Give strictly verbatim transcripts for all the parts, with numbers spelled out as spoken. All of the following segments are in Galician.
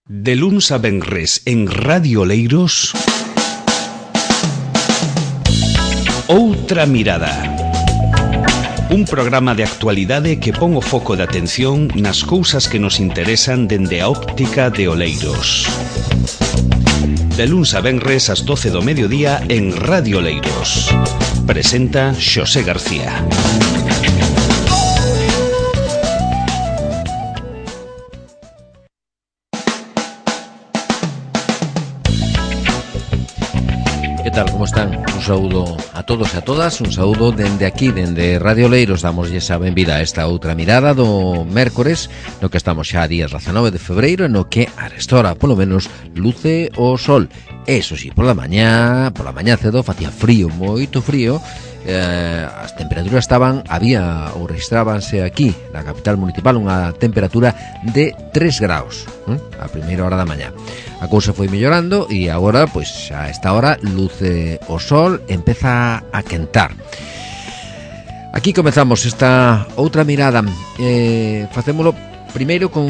De luns a venres en Radio Oleiros, Outra Mirada. Un programa de actualidade que pon o foco de atención nas cousas que nos interesan dende a óptica de Oleiros. De luns a venres ás doce do mediodía en Radio Oleiros. Presenta Xosé García. Que tal, como están? Un saúdo a todos e a todas, un saúdo dende aquí, dende Radio Oleiros. Damos xa benvida a esta outra mirada do mércores, no que estamos xa a días dezanove de febreiro, no que a restora, polo menos, luce o sol. Eso sí, pola mañá, pola mañá cedo, facía frío, moito frío. Eh, as temperaturas estaban, había ou registrábanse aquí na capital municipal unha temperatura de tres graus, eh, a primeira hora da mañá. A cousa foi mellorando e agora, pois, a esta hora luce o sol, empeza a quentar. Aquí comezamos esta outra mirada. Eh, facémolo primeiro con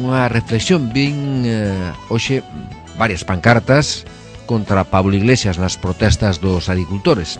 unha reflexión. Vin eh, hoxe varias pancartas contra Pablo Iglesias nas protestas dos agricultores.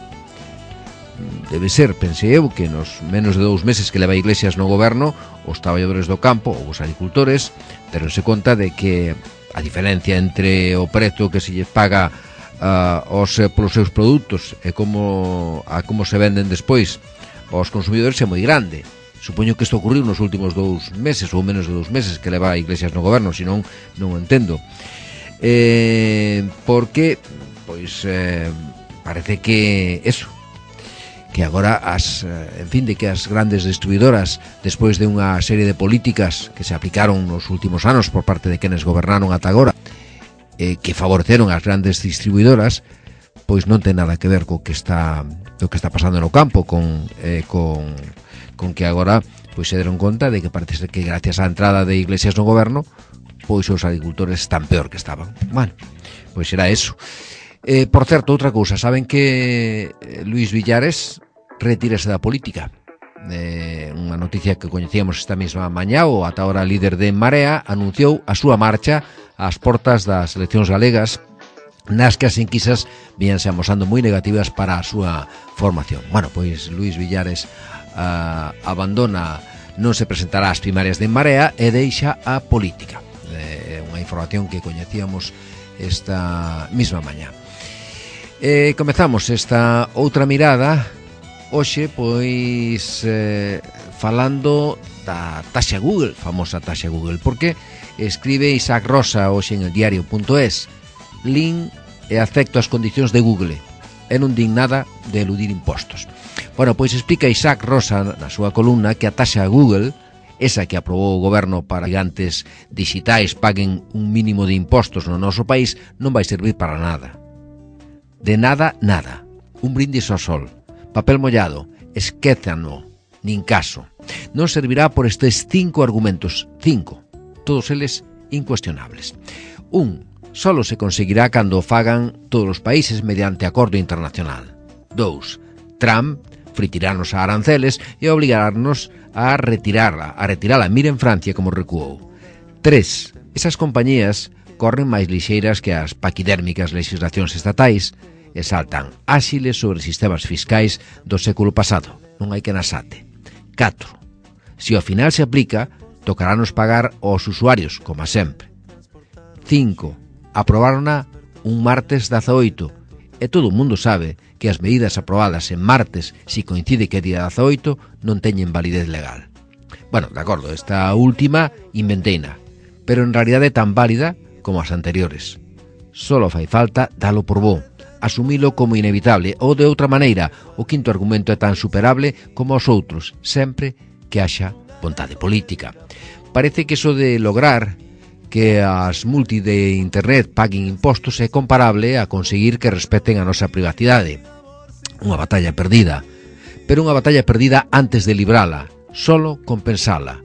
Debe ser, pensei eu, que nos menos de dous meses que leva Iglesias no goberno, os traballadores do campo ou os agricultores deronse conta de que a diferencia entre o prezo que se lle paga uh, os, polos seus produtos e como, a como se venden despois aos consumidores é moi grande. Supoño que isto ocurriu nos últimos dous meses ou menos de dous meses que leva Iglesias no goberno, senón non o entendo. Eh, porque, pois, eh, parece que eso, que agora as, en fin, de que as grandes distribuidoras, despois de unha serie de políticas que se aplicaron nos últimos anos por parte de quenes gobernaron ata agora, eh, que favoreceron as grandes distribuidoras, pois non ten nada que ver co que está o que está pasando no campo, con eh, con con que agora pois se deron conta de que parece ser que gracias á entrada de Iglesias no goberno, pois os agricultores están peor que estaban. Bueno, pois era eso. Eh, por certo, outra cousa, saben que Luís Villares retírase da política. Eh, unha noticia que coñecíamos esta mesma mañá. O ata ahora líder de Marea anunciou a súa marcha ás portas das eleccións galegas, nas que as enquisas víanse amosando moi negativas para a súa formación. Bueno, pois Luís Villares uh, abandona, non se presentará ás primarias de Marea e deixa a política. Eh, unha información que coñecíamos esta mesma mañá. Eh, comezamos esta outra mirada hoxe, pois, eh, falando da taxa Google, famosa taxa Google, porque escribe Isaac Rosa hoxe en el diario punto es: lin e acepto as condicións de Google e non din nada de eludir impostos. Bueno, pois explica Isaac Rosa na súa columna que a taxa Google, esa que aprobou o goberno para que gigantes digitais paguen un mínimo de impostos no noso país, non vai servir para nada. De nada, nada. Un brindis ao sol. Papel mollado. Esquézano. Nin caso. Non servirá por estes cinco argumentos. Cinco. Todos eles incuestionables. Un. Solo se conseguirá cando o fagan todos os países mediante acordo internacional. Dous. Trump fritirarnos a aranceles e obligarnos a retirarla. A retirala. Miren Francia como recuou. Tres. Esas compañías corren máis lixeiras que as paquidérmicas legislacións estatais e saltan áxiles sobre sistemas fiscais do século pasado. Non hai que nasate. catro. Se ao final se aplica, tocarános pagar aos usuarios, como sempre. cinco. Aprobárona un martes dezaoito e todo o mundo sabe que as medidas aprobadas en martes, si coincide que é día dezaoito, non teñen validez legal. Bueno, de acordo, esta última inventeina, pero en realidade é tan válida como as anteriores. Solo fai falta dalo por bo, asumilo como inevitable, ou de outra maneira, o quinto argumento é tan superable como os outros, sempre que haxa vontade política. Parece que eso de lograr que as multi de internet paguen impostos é comparable a conseguir que respeten a nosa privacidade. Unha batalla perdida, pero unha batalla perdida antes de librala, solo con pensala.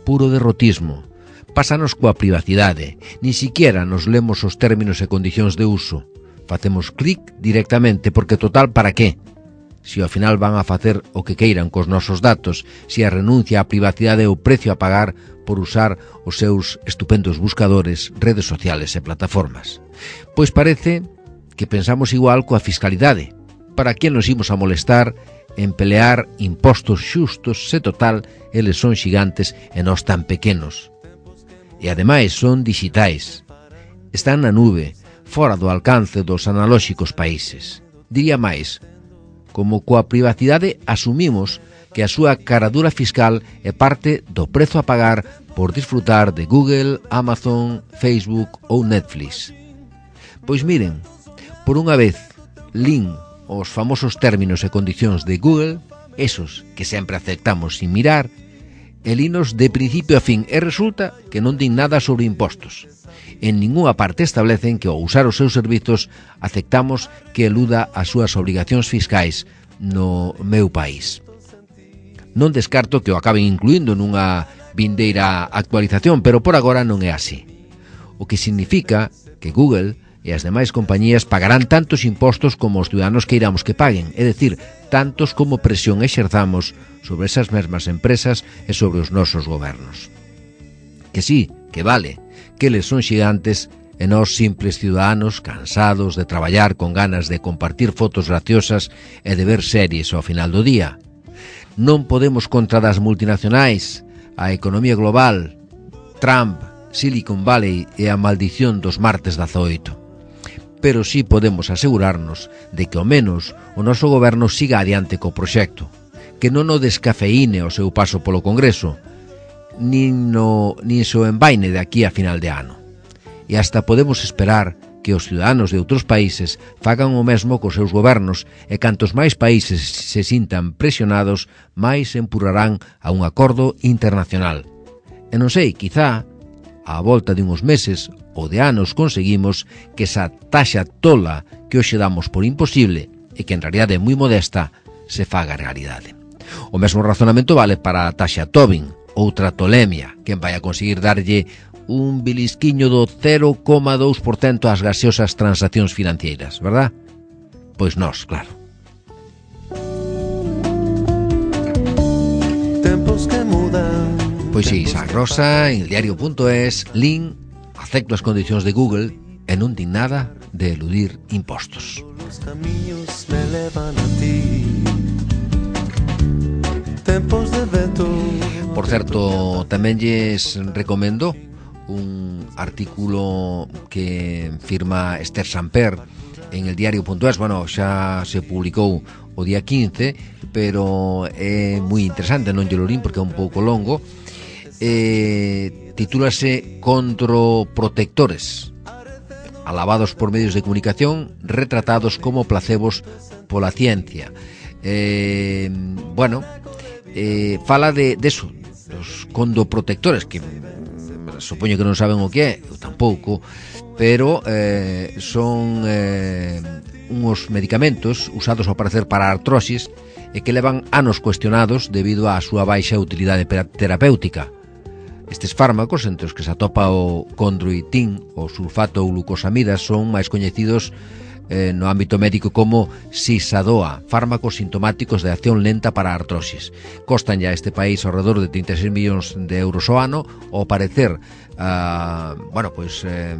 Puro derrotismo. Pásanos coa privacidade, ni siquiera nos lemos os términos e condicións de uso. Facemos clic directamente, porque total, para qué? se ao final van a facer o que queiran cos nosos datos, se a renuncia á privacidade é o precio a pagar por usar os seus estupendos buscadores, redes sociales e plataformas. Pois parece que pensamos igual coa fiscalidade. Para que nos imos a molestar en pelear impostos xustos se total eles son xigantes e nós tan pequenos? E ademais son digitais. Están na nube, fora do alcance dos analóxicos países. Diría máis, como coa privacidade asumimos que a súa caradura fiscal é parte do prezo a pagar por disfrutar de Google, Amazon, Facebook ou Netflix. Pois miren, por unha vez, lin os famosos términos e condicións de Google, esos que sempre aceptamos sin mirar, e linos de principio a fin, e resulta que non din nada sobre impostos. En ninguna parte establecen que ao usar os seus servizos aceptamos que eluda as súas obrigacións fiscais no meu país. Non descarto que o acaben incluindo nunha vindeira actualización, pero por agora non é así. O que significa que Google e as demais compañías pagarán tantos impostos como os ciudadanos queiramos que paguen, é dicir, tantos como presión exerzamos sobre esas mesmas empresas e sobre os nosos gobernos. Que sí, que vale, que eles son xigantes e nós simples ciudadanos cansados de traballar con ganas de compartir fotos graciosas e de ver series ao final do día. Non podemos contra das multinacionais, a economía global, Trump, Silicon Valley e a maldición dos martes dezaoito. Pero sí podemos asegurarnos de que ao menos o noso goberno siga adiante co proxecto, que non o descafeíne o seu paso polo Congreso, nin, no, nin so envaine de aquí a final de ano. E hasta podemos esperar que os ciudadanos de outros países fagan o mesmo cos seus gobernos e cantos máis países se sintan presionados, máis empurrarán a un acordo internacional. E non sei, quizá, á volta de uns meses ou de anos conseguimos que esa taxa tola que hoxe damos por imposible e que en realidade é moi modesta se faga realidade. O mesmo razonamento vale para a taxa Tobin, outra tolemia, quen vai a conseguir darlle un bilisquiño do cero coma dous por cento ás gaseosas transaccións financeiras, verdad? Pois nós, claro. Tempos que mudan. Pois sí, Isaac Rosa, en el diario punto es, lin, acepto as condicións de Google e non din nada de eludir impostos. Os camiños me levan a ti. Tempos de vento. Por certo, tamén lles recomendo un artículo que firma Esther Samper en el diario punto es. Bueno, xa se publicou o día quince, pero é moi interesante, non lle lo lín porque é un pouco longo. Eh, titúlase Controprotectores, alabados por medios de comunicación, retratados como placebos pola ciencia. Eh, bueno, eh, fala de, de eso, dos condoprotectores, que supoño que non saben o que é, eu tampouco, pero eh, son eh, uns medicamentos usados ao parecer para artrosis e que levan anos cuestionados debido á súa baixa utilidade terapéutica. Estes fármacos, entre os que se atopa o condroitin ou sulfato ou glucosamidas, son máis coñecidos eh, no ámbito médico como Sisadoa, fármacos sintomáticos de acción lenta para a artrosis. Costan ya a este país ao redor de trinta e seis millóns de euros ao ano. Ao parecer, uh, bueno, pois eh,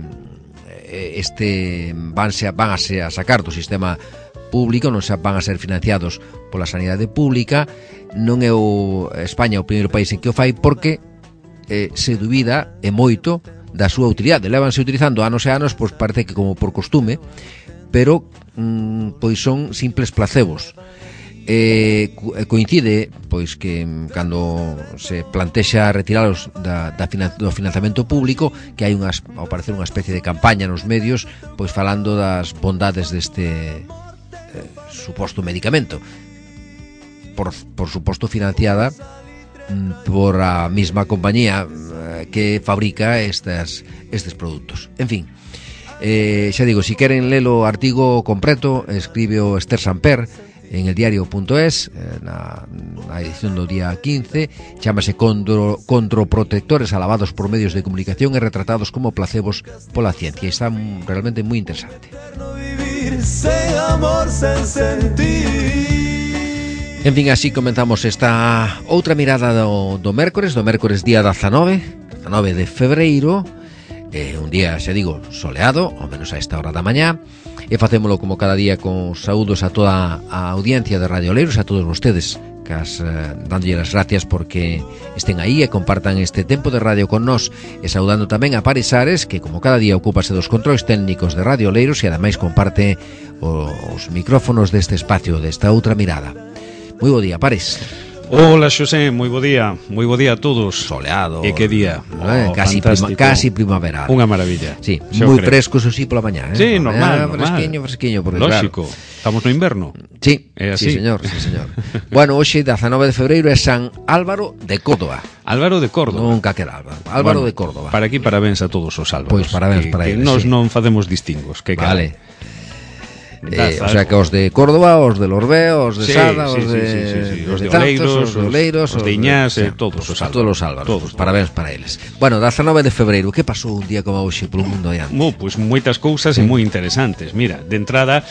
este vanse, van a, se a sacar do sistema público, non se van a ser financiados pola sanidade pública. Non é o España o primeiro país en que o fai, porque eh, se dubida e moito da súa utilidade. Levanse utilizando anos e anos, pois parece que como por costume, pero mm, pois son simples placebos. Eh, coincide pois que cando se plantexa retiralos da, da finan, do financiamento público, que hai unhas, ao parecer unha especie de campaña nos medios, pois falando das bondades deste eh, suposto medicamento, por, por suposto financiada mm, por a mesma compañía eh, que fabrica estas, estes produtos. En fin, eh, xa digo, si queren ler o artigo completo, escribe o Esther Samper en el diario punto es, na, na edición do día quince. Chámase Condro, Controprotectores alabados por medios de comunicación e retratados como placebos pola ciencia. E está realmente moi interesante. Vivir sen amor, sen sentir. En fin, así comenzamos esta outra mirada do, do mércores, do mércores día dezanove, dezanove de febreiro, eh, un día, xa digo, soleado, ao menos a esta hora da mañá, e facémolo como cada día con saúdos a toda a audiencia de Radio Oleiros, a todos vostedes, cas, eh, dándolle as gracias porque estén aí e compartan este tempo de radio con nós, e saudando tamén a Pares Ares, que como cada día ocúpase dos controis técnicos de Radio Oleiros e ademais comparte os micrófonos deste espacio, desta outra mirada. Moi bo día, Pares. Hola, Xosé, moi bo día. Moi bo día a todos. Soleado. E que día. Eh, Oh, casi, prima, casi primaveral. Unha maravilla. Sí, moi fresco, eso sí, pola mañá, eh? Sí, normal, normal. Fresquiño, fresquiño, porque lógico. Claro, estamos no inverno. Sí, é así. Sí, señor, sí, señor. Bueno, hoxe, dezanove de febreiro, é San Álvaro de Córdoba. Álvaro de Córdoba. Nunca queda Álvaro. Álvaro bueno, de Córdoba. Para aquí, parabéns a todos os Álvaros. Pois parabéns que, para que eles, nos sí. non facemos distingos. Que Vale. Cada... Eh, o sea que os de Córdoba, os de Lorbeo, os de sí, Sada, sí, os de, sí, sí, sí, sí. os de, de Tanzos, Oleiros, os de Oleiros, os de Iñás, de, eh, todos os Álvaros. todos os Álvaros. Todos, parabéns para eles. Bueno, dezanove de febreiro, que pasou un día como hoxe polo mundo aí? Mo, pois moitas cousas sí. E moi interesantes. Mira, de entrada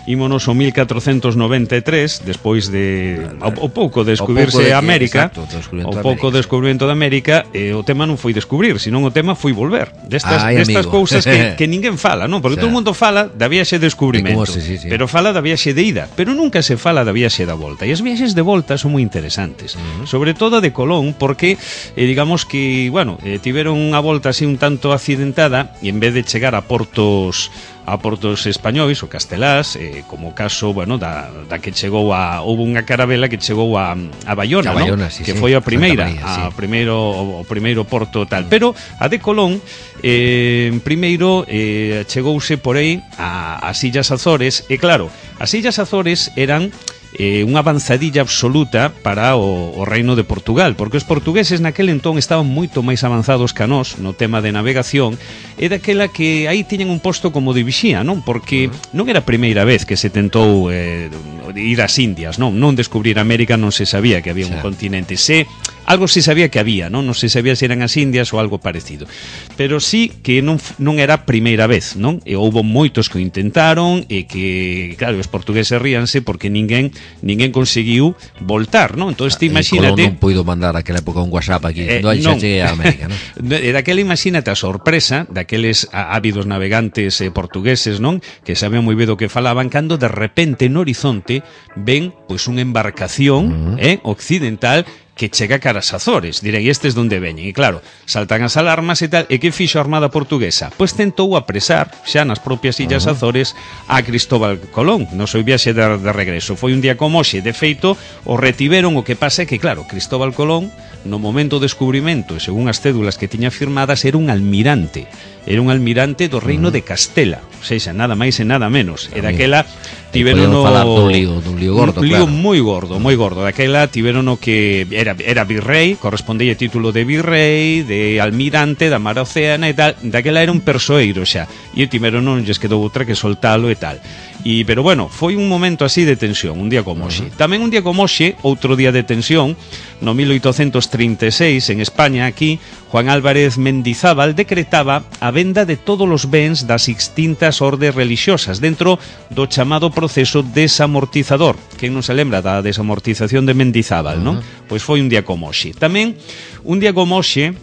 ímonos ao mil catrocentos noventa e tres, despois de o, o pouco de descubrirse de que, América, exacto, o pouco de descubrimento de América, e o tema non foi descubrir, senón o tema foi volver. Destas, Ay, destas amigo. cousas que, que ninguén fala, non? Porque O sea, todo o mundo fala da viaxe de descubrimento, se, sí, sí. pero fala da viaxe de ida, pero nunca se fala da viaxe da volta. E as viaxes de volta son moi interesantes, uh-huh. Sobre todo de Colón, porque eh, digamos que, bueno, eh, tiveron unha volta así un tanto accidentada, e en vez de chegar a portos a portos españois ou castelás, eh, como o caso, bueno, da, da que chegou a houve unha carabela que chegou a, a Bayona, a Bayona, ¿no? Sí, que sí, foi a primeira, María, sí. a primeiro o primeiro porto tal, pero a de Colón eh, primeiro eh, chegouse por aí a, as Illas Azores, e claro, as Illas Azores eran eh, unha avanzadilla absoluta para o, o reino de Portugal, porque os portugueses naquele entón estaban moito máis avanzados que a nós no tema de navegación, e daquela que aí tiñan un posto como de vixía, non? Porque non era a primeira vez que se tentou eh, ir ás Indias, non? Non descubrir América, non se sabía que había un claro. continente, se algo se sabía que había, non? Non se sabía se eran as Indias ou algo parecido, pero sí que non, non era a primeira vez, non? E houve moitos que o intentaron e que, claro, os portugueses ríanse porque ninguén ninguén conseguiu voltar, non? Entón, Ah, imagínate... Colón non puido mandar aquela época un WhatsApp aquí, Eh, non, xa non. cheguei a América, non? E daquela, imagínate a sorpresa daqueles ávidos navegantes eh, portugueses, non? Que sabían moi ben do que falaban, cando de repente no horizonte ven pois unha embarcación uh -huh. eh, occidental que chega cara as Azores. Direi, estes donde veñen? E claro, saltan as alarmas e tal. E que fixo a Armada Portuguesa? Pois tentou apresar, xa nas propias Illas uh -huh. Azores, a Cristóbal Colón no seu viaxe de, de regreso. Foi un día como hoxe, de feito, o retiveron. O que pasa é que, claro, Cristóbal Colón, no momento do descubrimento, e según as cédulas que tiña firmadas, era un almirante. Era un almirante do reino uh -huh. de Castela. O sea, nada máis e nada menos. E daquela tiveron no falar dun lío, dun lío gordo, un lío claro. moi gordo, moi gordo. Daquela tiveron o que era era virrei, correspondía título de virrei, de almirante da Mar Océana e tal. Daquela era un persoeiro xa. E tiveron non lles quedou outra que soltalo e tal. E, pero bueno, foi un momento así de tensión, un día como hoxe. Uh -huh. Tamén un día como hoxe, outro día de tensión, no mil oitocentos trinta e seis, en España, aquí, Juan Álvarez Mendizábal decretaba a venda de todos os bens das extintas ordes religiosas dentro do chamado proceso desamortizador. Quen non se lembra da desamortización de Mendizábal, uh -huh. non? Pois foi un día como hoxe. Tamén, un día como hoxe,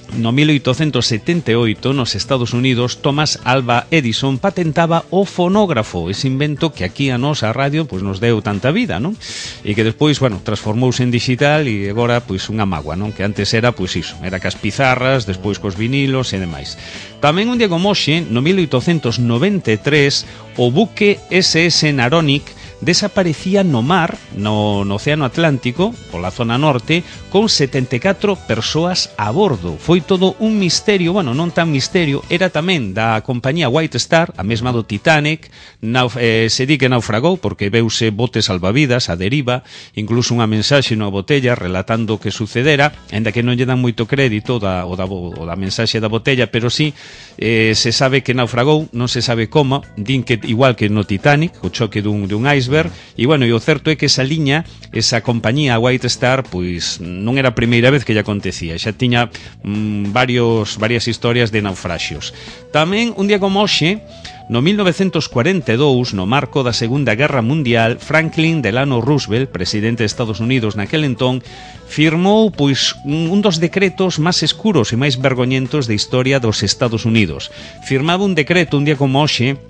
no mil oitocentos setenta e oito, nos Estados Unidos, Thomas Alva Edison patentaba o fonógrafo, ese invento que aquí a nós, a radio, pois nos deu tanta vida, non? E que despois, bueno, transformouse en digital e agora, pois, unha mágoa, non? Que antes era, pois iso, era cas pizarras, despois cos vinilos e demais. Tamén un día como hoxe, no mil oitocentos noventa e tres, o buque ese ese Naronic desaparecía no mar, no, no Océano Atlántico, pola zona norte, con setenta e catro persoas a bordo. Foi todo un misterio, bueno, non tan misterio, era tamén da compañía White Star, a mesma do Titanic, nauf, eh, se di que naufragou porque veuse botes salvavidas a deriva, incluso unha mensaxe na botella relatando o que sucedera, ainda que non lle dan moito crédito da, o, da, o da mensaxe da botella, pero sí eh, se sabe que naufragou, non se sabe como, din que igual que no Titanic, o choque dun, dun iceberg, e bueno, e o certo é que esa liña, esa compañía White Star, pois non era a primeira vez que lle acontecía, xa tiña mm, varios, varias historias de naufraxios. Tamén, un día como hoxe, No mil novecientos cuarenta e dous, no marco da Segunda Guerra Mundial, Franklin Delano Roosevelt, presidente de Estados Unidos naquel entón, firmou pois un dos decretos máis escuros e máis vergoñentos da historia dos Estados Unidos. Firmaba un decreto un día como hoxe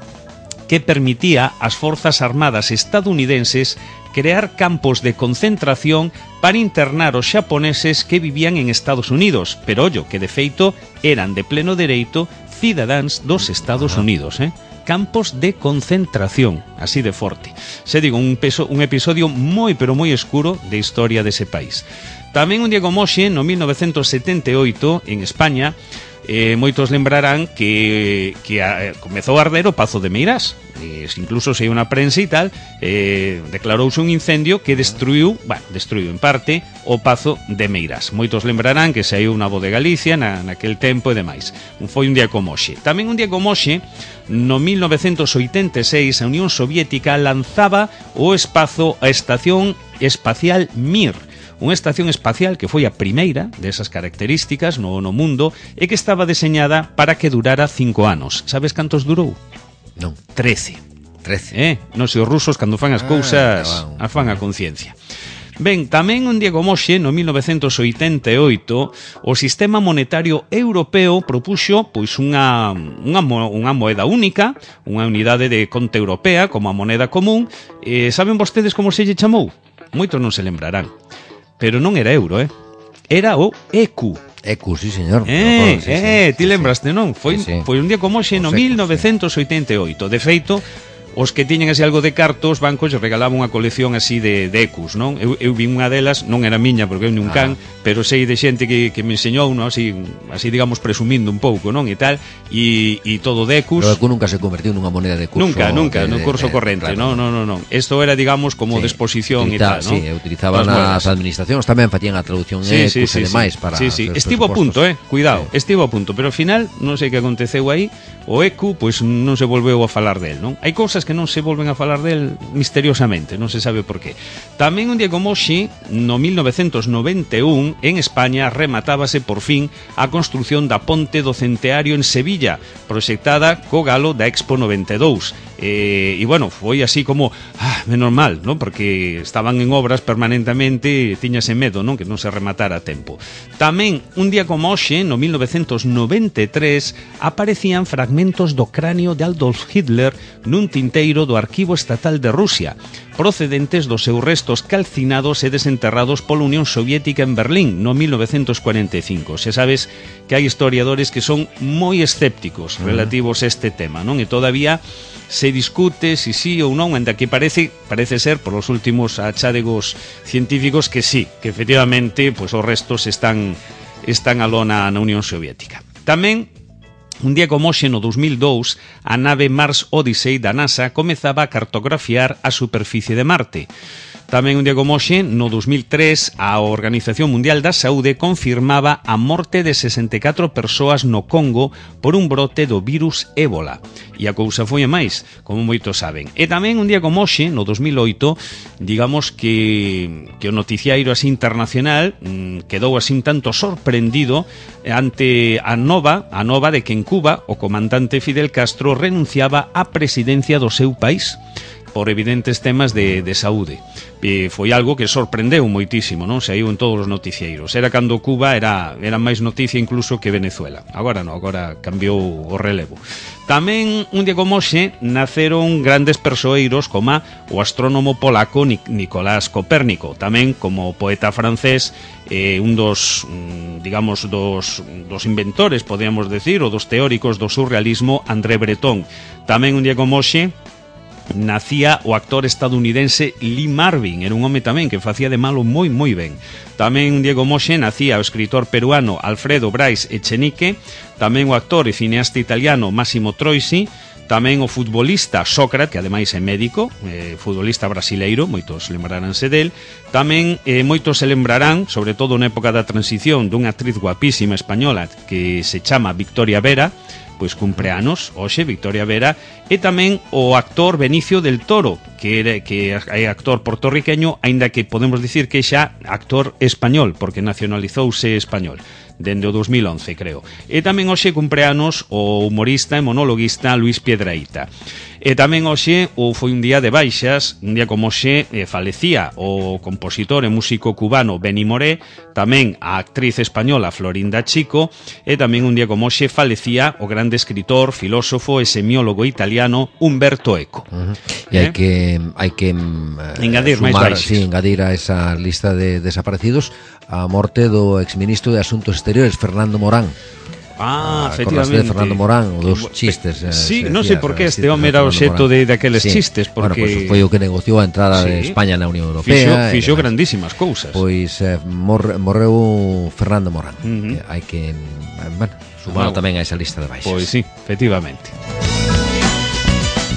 que permitía ás forzas armadas estadounidenses crear campos de concentración para internar os xaponeses que vivían en Estados Unidos, pero ollo, que de feito eran de pleno dereito cidadáns dos Estados Unidos, eh? Campos de concentración, así de forte. Se digo, un, peso, un episodio moi, pero moi escuro de historia dese país. Tamén un día como hoxe, no mil novecientos setenta e oito, en España, eh, moitos lembrarán que, que a, comezou a arder o Pazo de Meirás. E, incluso se hai unha prensa e tal, eh, declarouse un incendio que destruiu, bueno, destruiu en parte o Pazo de Meirás. Moitos lembrarán que saiu unha voz de Galicia na, naquel tempo e demais. Foi un día como hoxe. Tamén un día como hoxe, no mil novecientos oitenta e seis, a Unión Soviética lanzaba o espazo a Estación Espacial Mir, unha estación espacial que foi a primeira desas características no, no mundo e que estaba deseñada para que durara cinco anos. Sabes cantos durou? Non. Trece. Trece. Eh? Non sei, os rusos cando fan as ah, cousas wow. as fan a conciencia. Ben, tamén un día como hoxe, no mil novecientos oitenta e oito, o Sistema Monetario Europeo propuxo pois unha, unha, unha moeda única, unha unidade de conta europea como a moneda común. Eh, saben vostedes como se lle chamou? Moitos non se lembrarán. Pero non era euro, eh? Era o E Q. E Q, sí, señor. Eh, sí, eh, sí, ti sí, lembraste, non? Foi, sí, sí. foi un día como hoxe no mil novecientos oitenta e oito. De feito, os que tiñen así algo de cartos, os bancos lle regalaban unha colección así de, de E Qs, non? Eu, eu vi unha delas, non era miña porque eu ni un can, ah. pero sei de xente que, que me enseñou, non? Así, así digamos presumindo un pouco, non? E tal, e, e todo de E Qs. Pero E Q nunca se convertiu nunha moneda de curso. Nunca, nunca, de, no curso de, corrente, claro. non, non, non, non. Esto era, digamos, como sí, de exposición e tal, non? Sí, utilizaban as administracións, tamén facían a traducción sí, E Qs sí, sí, e demais sí. para sí, sí. Estivo a punto, eh, cuidado, sí. Estivo a punto, pero ao final non sei que aconteceu aí. O E Q, pois non se volveu a falar del, non? Hai cousas que non se volven a falar del misteriosamente, non se sabe por qué. Tamén un día como hoxe, no mil novecientos noventa e un, en España rematábase por fin a construción da Ponte do Centenario en Sevilla, proxectada co galo da Expo noventa e dous. E, e bueno, foi así como ah, menos mal, non? Porque estaban en obras permanentemente e tiñase medo, non? Que non se rematara a tempo. Tamén un día como hoxe, no mil novecientos noventa e tres, aparecían fragmentos do cráneo de Adolf Hitler nun tinteiro do Arquivo Estatal de Rusia, procedentes dos seus restos calcinados e desenterrados pola Unión Soviética en Berlín no mil novecientos cuarenta e cinco. Se sabes que hai historiadores que son moi escépticos relativos a este tema, non? E todavía se discute si sí ou non, ainda que parece parece ser por os últimos achádegos científicos que sí, que efectivamente pois os restos están están aló na, na Unión Soviética. Tamén un día como hoxe no dos mil dous, a nave Mars Odyssey da NASA comezaba a cartografiar a superficie de Marte. Tamén un día como hoxe, no dos mil tres, a Organización Mundial da Saúde confirmaba a morte de sesenta e catro persoas no Congo por un brote do virus ébola. E a cousa foi a máis, como moitos saben. E tamén un día como hoxe, no dos mil oito, digamos que, que o noticiairo así internacional mmm, quedou así un tanto sorprendido ante a nova, a nova de que en Cuba o comandante Fidel Castro renunciaba á presidencia do seu país por evidentes temas de, de saúde. E foi algo que sorprendeu moitísimo, non? Saiu en todos os noticieiros. Era cando Cuba era, era máis noticia incluso que Venezuela. Agora non, agora cambiou o relevo. Tamén, un día como hoxe, naceron grandes persoeiros como o astrónomo polaco Nicolás Copérnico, tamén como poeta francés, eh, un dos, digamos, dos, dos inventores, podríamos decir, ou dos teóricos do surrealismo, André Breton. Tamén un día como hoxe, nacía o actor estadounidense Lee Marvin, era un home tamén que facía de malo moi moi ben. Tamén un día como hoxe nacía o escritor peruano Alfredo Brais Echenique, tamén o actor e cineasta italiano Massimo Troisi, tamén o futbolista Sócrates, que ademais é médico, eh, futbolista brasileiro, moitos lembraránse del. Tamén eh, moitos se lembrarán, sobre todo na época da transición, dunha actriz guapísima española que se chama Victoria Vera, pois cumpre anos, hoxe, Victoria Vera, e tamén o actor Benicio del Toro, que era, que é actor portorriqueño, aínda que podemos dicir que xa actor español, porque nacionalizouse español. dende o dos mil once, creo. E tamén hoxe cumpleanos o humorista e monologuista Luis Piedrahita. E tamén hoxe ou foi un día de baixas, un día como hoxe eh, falecía o compositor e músico cubano Benny Moré, tamén a actriz española Florinda Chico, e tamén un día como hoxe falecía o grande escritor, filósofo e semiólogo italiano Umberto Eco. Uh-huh. E hai eh? que hai que eh, engadir máis baixas. Sí, engadir a esa lista de desaparecidos a morte do exministro de Asuntos Exteriores Fernando Morán. Ah, ah, efectivamente. De Fernando Morán, o dos chistes. Eh, sí, se non sei por que este home era o xeto de daqueles sí. chistes, porque bueno, pues foi o que negociou a entrada sí. de España na Unión Europea. Fixo, fixo grandísimas cousas. Pois eh, mor, morreu Fernando Morán. Uh-huh. Eh, hai que, eh, bueno, sumar tamén a esa lista de baixas. Pois sí, efectivamente.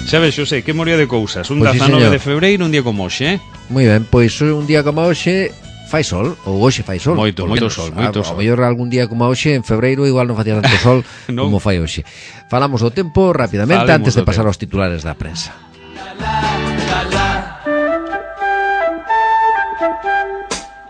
Xa ves, Xosé, que moría de cousas. Un pues dezanove sí, de febreiro, un día como hoxe, eh? Moi ben, pois un día como hoxe fai sol, ou hoxe fai sol. Moito, moito sol, moito sol. A mellor algún día como hoxe, en febreiro, igual non facía tanto sol no. como fai hoxe. Falamos do tempo rapidamente Falemos antes de pasar tempo. aos titulares da prensa.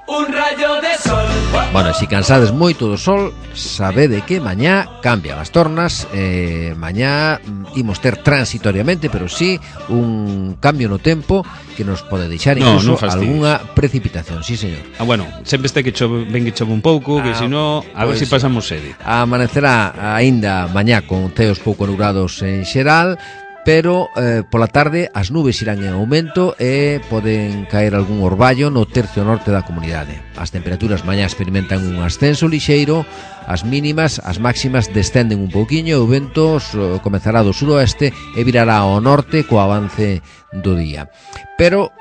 Un rayo de sol. Bueno, se si cansades moito do sol, sabede que mañá cambian as tornas, eh, mañá imos ter transitoriamente, pero sí un cambio no tempo que nos pode deixar incluso no, no algunha precipitación, sí señor. Ah, bueno, sempre este que chove, ven que chove un pouco, ah, que se no, a pues ver se si pasamos sede. Amanecerá aínda mañá con ceos pouco nublados en xeral, pero eh, pola tarde as nubes irán en aumento e poden caer algún orballo no tercio norte da comunidade. As temperaturas mañá experimentan un ascenso lixeiro, as mínimas, as máximas descenden un pouquiño e o vento so, comezará do suroeste e virará ao norte co avance do día. Pero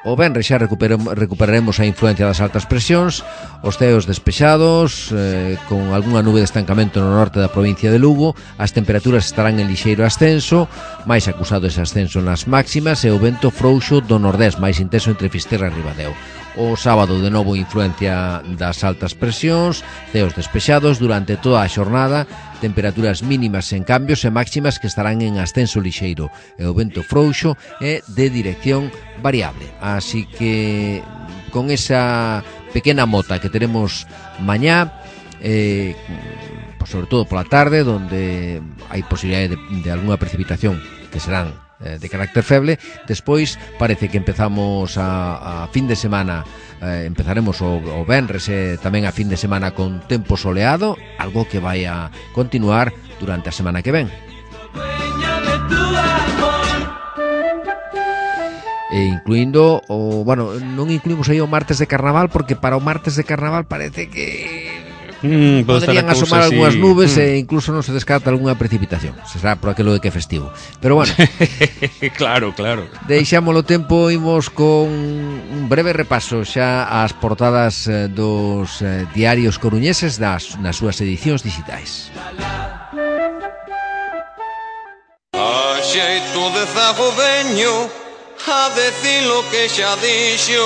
o venres xa recuperaremos a influencia das altas presións, os ceos despexados, eh, con algunha nube de estancamento no norte da provincia de Lugo, as temperaturas estarán en lixeiro ascenso, máis acusado ese ascenso nas máximas e o vento frouxo do nordés, máis intenso entre Fisterra e Ribadeo. O sábado de novo influencia das altas presións, ceos despexados durante toda a xornada, temperaturas mínimas en cambios e máximas que estarán en ascenso lixeiro e o vento frouxo é de dirección variable. Así que con esa pequena mota que tenemos mañá, eh, sobre todo pola tarde, donde hai posibilidade de, de alguna precipitación que serán de carácter feble, despois parece que empezamos a, a fin de semana, eh, empezaremos o, o venres e tamén a fin de semana con tempo soleado, algo que vai a continuar durante a semana que ven. E incluindo o, bueno, non incluímos aí o martes de carnaval, porque para o martes de carnaval parece que Mm, podrían asomar algunhas nubes mm. e incluso non se descarta algunha precipitación. Se será por aquilo de que é festivo. Pero bueno, claro, claro. Deixámolo tempo, imos con un breve repaso xa ás portadas eh, dos eh, diarios coruñeses das, nas súas edicións digitais. A xeito de zago veño a decir lo que xa dixo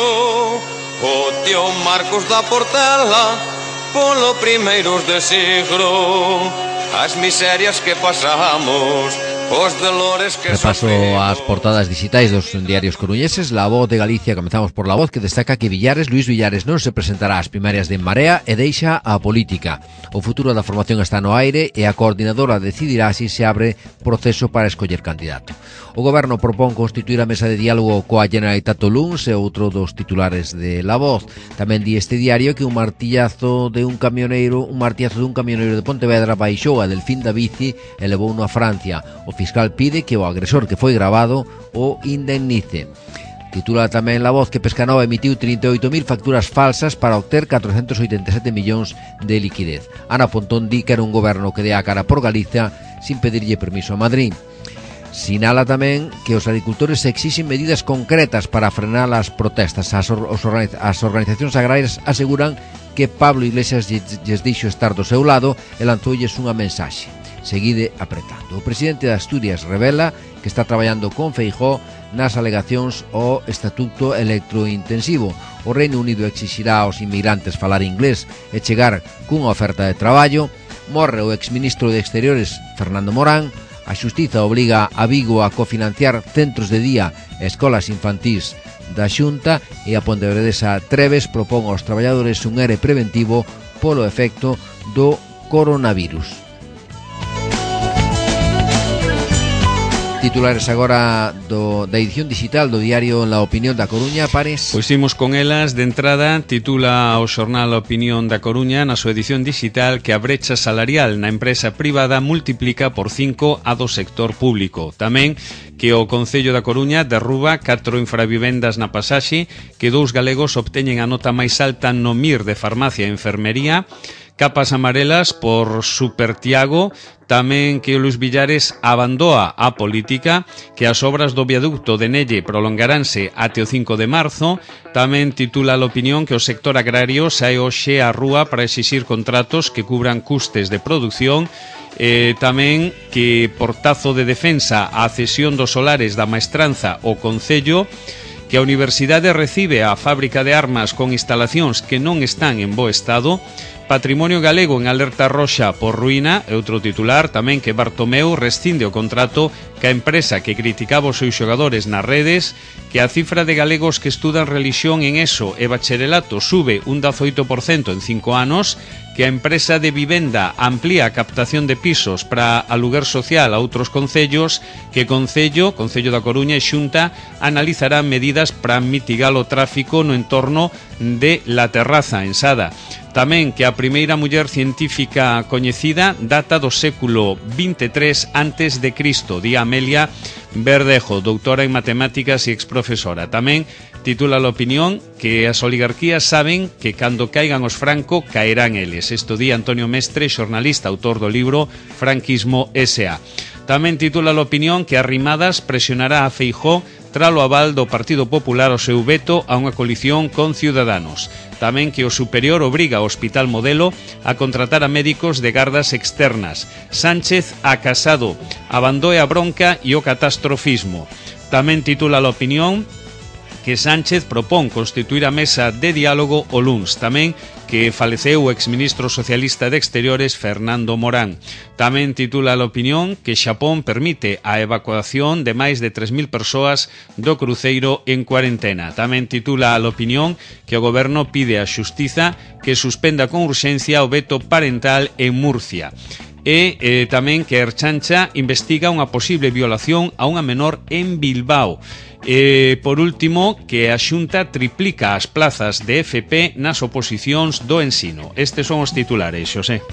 o tío Marcos da Portela polo primeiros de siglo, as miserias que pasamos, os dolores que Repaso sofrimos. As portadas digitais dos diarios coruñeses. La Voz de Galicia, comenzamos por La Voz, que destaca que Villares, Luis Villares non se presentará ás primarias de En Marea e deixa a política. O futuro da formación está no aire e a coordinadora decidirá si se abre proceso para escoller candidato. O goberno propón constituir a mesa de diálogo coa Generalitat o luns e outro dos titulares de La Voz. Tamén di este diario que un martillazo de un camioneiro, un martillazo de un camioneiro de Pontevedra baixou a Delfín da bici e levouno a Francia. O fiscal pide que o agresor que foi grabado o indemnice. Titula tamén La Voz que Pescanova emitiu trinta e oito mil facturas falsas para obter catrocentos oitenta e sete millóns de liquidez. Ana Pontón di que era un goberno que dea a cara por Galicia sin pedirlle permiso a Madrid. Sinala tamén que os agricultores exixen medidas concretas para frenar as protestas. As, or, as organizacións agrarias aseguran que Pablo Iglesias lles dixo estar do seu lado e lanzoulles unha mensaxe: seguide apretando. O presidente de Asturias revela que está traballando con Feijóo nas alegacións ao estatuto electrointensivo. O Reino Unido exixirá aos inmigrantes falar inglés e chegar cunha oferta de traballo. Morre o exministro de Exteriores Fernando Morán. A Xustiza obriga a Vigo a cofinanciar centros de día e escolas infantís da Xunta, e a pontevedresa Treves propón aos traballadores un ere preventivo polo efecto do coronavirus. Titulares agora do, da edición digital do diario La Opinión da Coruña, Pares. Pois imos con elas. De entrada, titula o xornal La Opinión da Coruña na súa edición digital que a brecha salarial na empresa privada multiplica por cinco a do sector público. Tamén que o Concello da Coruña derruba catro infravivendas na pasaxe, que dous galegos obteñen a nota máis alta no M I R de farmacia e enfermería, capas amarelas por Super Tiago, tamén que o Luis Villares abandoa a política, que as obras do viaducto de Nelle prolongaránse até o cinco de marzo. Tamén titula a opinión que o sector agrario sae hoxe á rúa para exixir contratos que cubran custes de produción. Eh, tamén que portazo de defensa a cesión dos solares da Maestranza ao Concello, que a Universidade recibe a fábrica de armas con instalacións que non están en bo estado. Patrimonio galego en alerta roxa por ruína, e outro titular tamén que Bartomeu rescinde o contrato ca empresa que criticaba os seus xogadores nas redes, que a cifra de galegos que estudan religión en ESO e bacharelato sube un dezoito por cento en cinco anos, que a empresa de vivenda amplía a captación de pisos para aluguer social a outros concellos, que Concello, Concello da Coruña e Xunta analizarán medidas para mitigar o tráfico no entorno de La Terraza, en Sada. Tamén que a primeira muller científica coñecida data do século vinte e tres antes de Cristo, di Amelia Verdejo, doutora en matemáticas e exprofesora. Tamén titula a opinión que as oligarquías saben que cando caigan os Franco caerán eles. Isto di Antonio Mestre, xornalista, autor do libro Franquismo S A. Tamén titula a opinión que Arrimadas presionará a Feijóo tralo aval do Partido Popular ao seu veto a unha coalición con Ciudadanos. Tamén que o superior obriga ao Hospital Modelo a contratar a médicos de gardas externas. Sánchez a Casado abandoe a bronca e o catastrofismo. Tamén titula a opinión que Sánchez propón constituir a mesa de diálogo o luns. Tamén que faleceu o exministro socialista de Exteriores Fernando Morán. Tamén titula a opinión que Xapón permite a evacuación de máis de tres mil persoas do cruceiro en cuarentena. Tamén titula a opinión que o goberno pide á xustiza que suspenda con urxencia o veto parental en Murcia. E eh, tamén que Erchancha investiga unha posible violación a unha menor en Bilbao. E, por último, que a Xunta triplica as plazas de F P nas oposicións do ensino. Estes son os titulares, Xosé.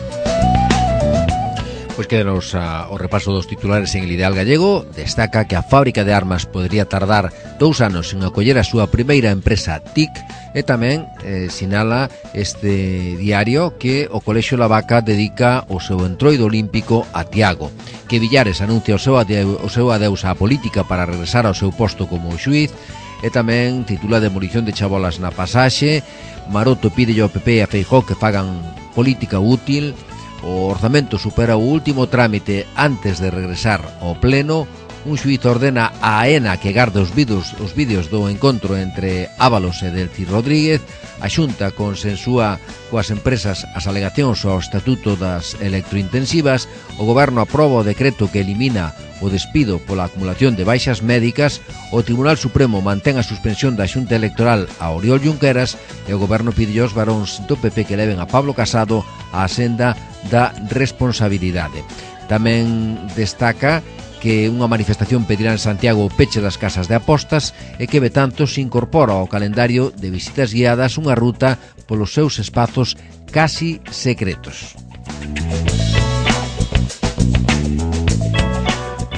Pois quédanos a, o repaso dos titulares en El Ideal Gallego. Destaca que a fábrica de armas podría tardar dous anos en acoller a súa primeira empresa T I C, e tamén eh, sinala este diario que o Colexio La Vaca dedica o seu entroido olímpico a Tiago, que Villares anuncia o seu, adeu, o seu adeus á política para regresar ao seu posto como xuíz, e tamén titula Demolición de chabolas na pasaxe. Maroto pide ao P P e a Feijóo que fagan política útil. O orzamento supera o último trámite antes de regresar ao pleno. Un xuíz ordena a AENA que garde os vídeos, os vídeos do encontro entre Ábalos e Delcy Rodríguez. A Xunta consensúa coas empresas as alegacións ao Estatuto das Electrointensivas. O Goberno aproba o decreto que elimina o despido pola acumulación de baixas médicas. O Tribunal Supremo mantén a suspensión da Xunta Electoral a Oriol Junqueras, e o Goberno pide aos varóns do P P que leven a Pablo Casado á senda da responsabilidade. Tamén destaca que unha manifestación pedirá en Santiago o peche das casas de apostas, e que Betanzos incorpora ao calendario de visitas guiadas unha ruta polos seus espazos casi secretos.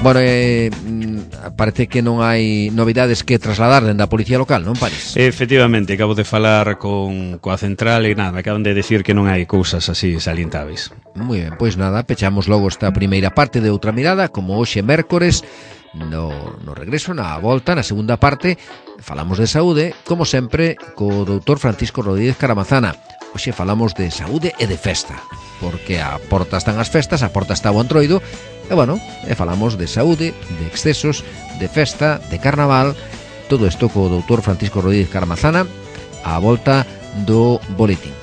Bueno, eh, parece que non hai novidades que trasladar dende a Policía Local, non, Paris? Efectivamente, acabo de falar con coa central e nada, me acaban de decir que non hai cousas así salientáveis. Moi ben, pois nada, pechamos logo esta primeira parte de Outra Mirada, como hoxe mércores. No, no regreso, na volta, na segunda parte, falamos de saúde, como sempre, co doutor Francisco Rodríguez Caramazana. Hoxe falamos de saúde e de festa, porque a porta están as festas, a porta está o Antroido, e bueno, e falamos de saúde, de excesos, de festa, de carnaval, todo isto co doutor Francisco Rodríguez Caramazana, a volta do boletín.